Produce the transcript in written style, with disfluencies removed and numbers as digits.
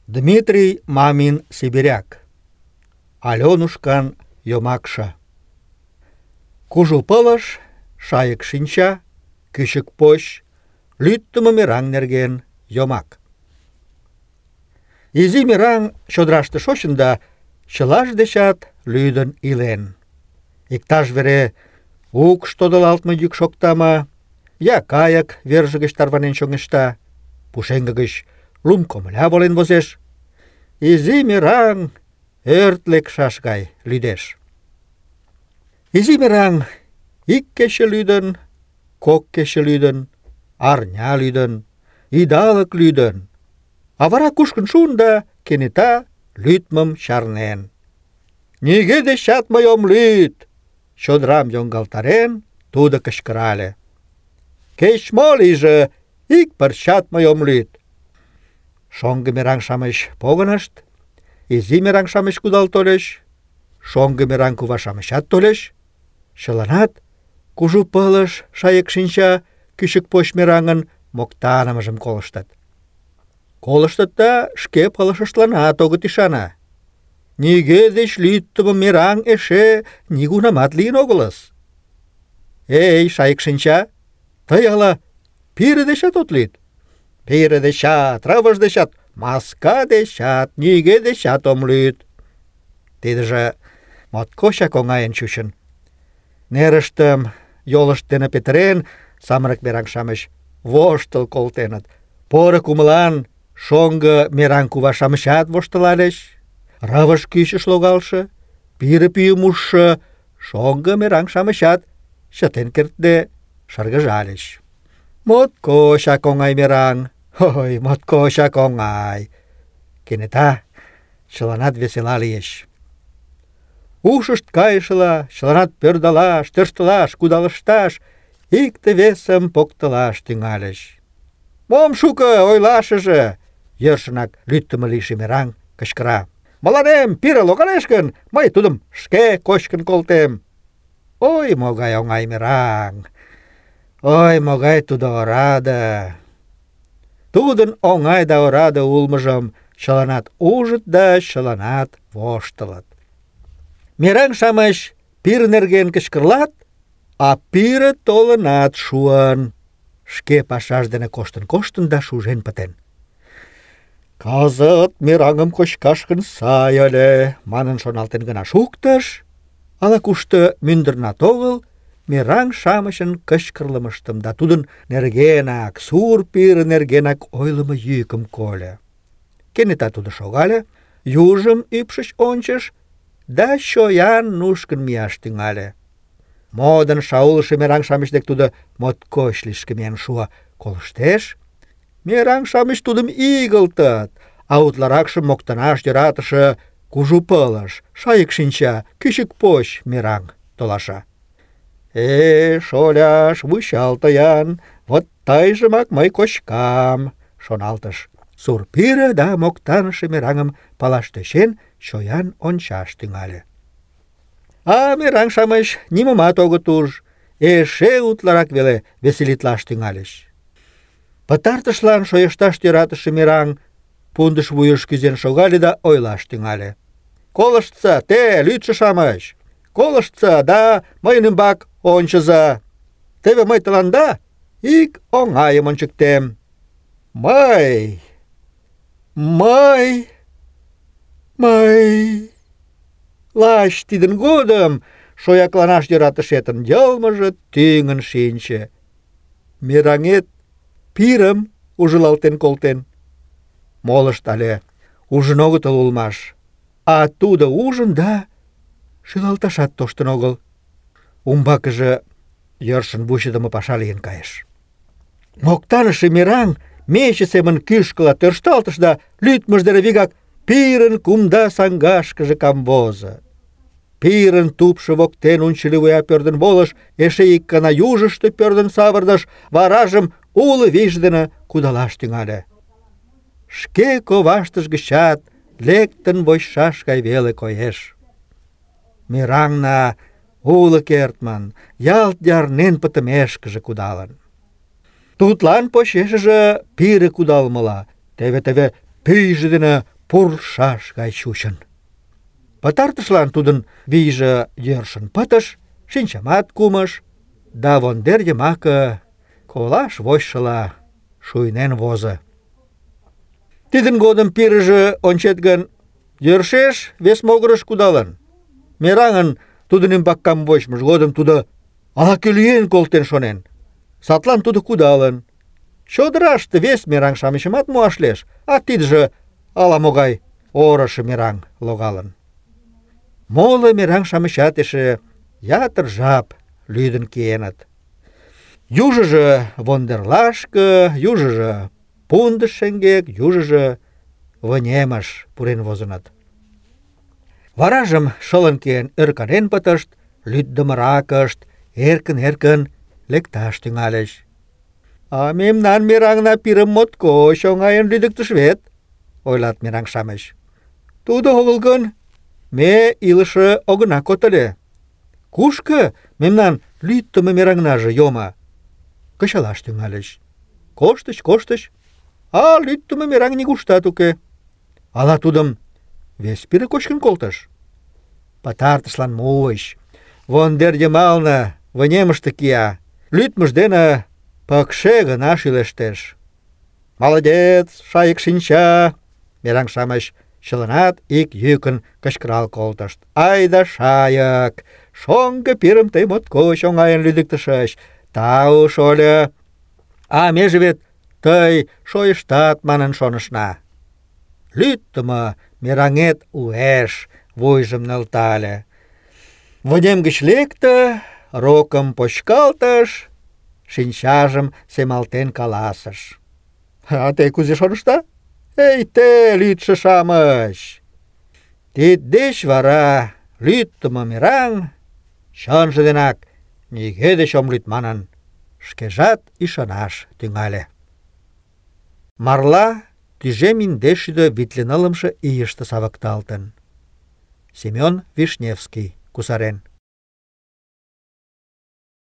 Дмитрий Мамин Сибиряк. Аленушкан йомакше. Кужу пылыш, шайык шинча, кӱчык поч, лӱддымӧ мераҥ нерген йомак. Изи мераҥ чодыраште шочын да чылаж дечат лӱдын илен. Иктаж вере укш тодылалтме йӱк шокта ма, я кайык верже гыч тарванен чоҥешта, пушеҥге гыч лум комыля волен возеш. Изи мераҥ ӧрт лекшаш гай лӱдеш. Изи мераҥ ик кече лӱдын, кок кече лӱдын, арня лӱдын, идалык лӱдын, а вара кушкын шуын да кенета лӱдмым чарнен. «Нигӧ дечат мый ом лӱд!» — чодырам йоҥгалтарен, тудо кычкырале. «Кеч-мо лийже, ик пырчат мый ом лӱд!» Шоҥго мераҥ-шамыч погынышт, изи мераҥ-шамыч кудал тольыч, шоҥго мераҥ кува-шамычат тольыч, чыланат кужу пылыш, шайык шинча, кӱчык поч мераҥын моктанымыжым колыштыт. Колыштыт да шке пылышыштланат огыт ӱшане. Нигӧ деч лӱддымӧ мераҥ эше нигунамат лийын огылыс. «Эй, шайык шинча, тый ала пире дечат от лӱд?» «Пире дечат, рывыж дечат, маска дечат, нигӧ дечат ом лӱд». Тидыже моткочак оҥайын чучын. Нерыштым йолышт дене петырен, самырык мераҥ-шамыч воштыл колтеныт. Поро кумылан шоҥго мераҥ кува-шамычат воштылальыч. Рывыж кӱчыш логалше, пире пӱйым ужшо шоҥго мераҥ-шамычат чытен кертде шыргыжальыч. Моткочак оҥай мераҥ, ой, моткочак оҥай. Кенета чыланат весела лийыч. Ушышт кайышыла, чыланат пӧрдалаш, тӧрштылаш, кудалышташ, икте-весым поктылаш тӱҥальыч. «Мом шуко ойлашыже!» — йӧршынак лӱддымӧ лийше мераҥ кычкыра. «Мыланем пире логалеш гын, мый тудым шке кочкын колтем». Ой, могай оҥай мераҥ! Ой, могай тудо ораде! Тудын оҥай да ораде улмыжым чыланат ужыт да чыланат воштылыт. Мераҥ-шамыч пире нерген кычкырлат, а пире толынат шуын. Шке пашаж дене коштын-коштын да шужен пытен. «Кызыт мераҥым кочкаш гын сай ыле», — манын шоналтен гына шуктыш, ала-кушто мӱндырнат огыл мераҥ-шамычын кычкырлымыштым да тудын нергенак, сур пире нергенак ойлымо йӱкым кольо. Кенета тудо шогале, южым ӱпшыч ончыш да чоян нушкын мияш тӱҥале. Модын шаулыше мераҥ-шамыч дек тудо моткоч лишке миен шуо. Колыштеш, мераҥ-шамыч тудым игылтыт, а утларакшым моктанаш йӧратыше кужу пылыш, шайык шинча, кӱчык поч мераҥ толаша. Шоляш, вучал-то-ян, вот тыйжымак мый кочкам», — шоналтыш. Сур пире да моктаныше мераҥым палаш тӧчен, чоян ончаш тӱҥале. А мераҥ-шамыч нимомат огыт уж, эше утларак веле веселитлаш тӱҥальыч. Пытартышлан шойышташ йӧратыше мераҥ пундыш вуйыш кӱзен шогале да ойлаш тӱҥале. «Колыштса, те, лӱдшӧ-шамыч! Колыштса да мыйын ӱмбак ончыза! Теве мый тыланда ик оҥайым ончыктем. Мый... Лач тидын годым шоякланаш йӧратышетын йылмыже тӱҥын шинче. Мераҥет пирым ужылалтен колтен. Молышт але ужын огытыл улмаш, а тудо ужын да шӱлалташат тоштын огыл. Умбакыже йӧршын вучыдымо паша лийын кайыш. Моктаныше мераҥ мече семын кӱшкыла тӧршталтыш да лӱдмыж дене вигак пирын кумда саҥгашкыже камвозо. Пирын тупшо воктен унчыли вуя пӧрдын волыш, эше ик гана южышто пӧрдын савырныш, варажым уло вийже дене кудалаш тӱҥале. Шке коваштыж гычат лектын вочшаш гай веле коеш. Мераҥна уло кертмын, ялт ярнен пытымешкыже кудалын. Тудлан почешыже пире кудалмыла, теве-теве пӱйжӧ дене пурлшаш гай чучын. Пытартышлан тудын вийже йӧршын пытыш, шинчамат кумыш, да вондер йымаке колаш вочшыла шуйнен возо. Тидын годым пирыже, ончет гын, йӧршеш вес могырыш кудалын. Мераҥын тудын ӱмбак камвочмыж годым тудо ала-кӧ лӱен колтен шонен. Садлан тудо кудалын. Чодыраште вес мераҥ-шамычымат муаш лиеш, а тидыже ала-могай орышо мераҥ логалын. Моло мераҥ-шамычат эше ятыр жап лӱдын киеныт. Южыжо вондерлашке, южыжо пундыш шеҥгек, южыжо вынемыш пурен возыныт. Варажым шылын киен ӧрканен пытышт, лӱддымыракышт эркын-эркын лекташ тӱҥальыч. «А мемнан мераҥна пирым моткоч оҥайын лӱдыктыш вет», — ойлат мераҥ-шамыч. «Тудо огыл гын, ме илыше огына код ыле. Кушко мемнан лӱддымӧ мераҥнаже йомо?» Кычалаш тӱҥальыч. Коштыч, а лӱддымӧ мераҥ нигуштат уке. Ала тудым вес пире кочкын колтыш? Пытартышлан муыч. Вондер йымалне вынемыште кия. Лӱдмыж дене пыкше гына шӱлештеш. «Молодец, шайык шинча!» Мераҥ-шамыч чыланат ик йӱкын кычкырал колтышт. «Айда шайык! Шоҥго пирым тый моткоч оҥайын лӱдыктышыч. Тау, шольо! А меже вет тый шойыштат манын шонышна». Лӱддымӧ мераҥет уэш вуйжым нӧлтале. Вынем гыч лекте, рокым почкалтыш, шинчажым семалтен каласыш: «А те кузе шонышда? Эй, те, лӱдшӧ-шамыч!» Тиддеч вара лӱддымӧ мераҥ чынже денак нигӧ деч ом лӱд манын, шкежат ӱшанаш тӱҥале. Марла тӱжем индеш шӱдӧ витле нылымше ийыште савыкталтын. Семён Вишневский кусарен.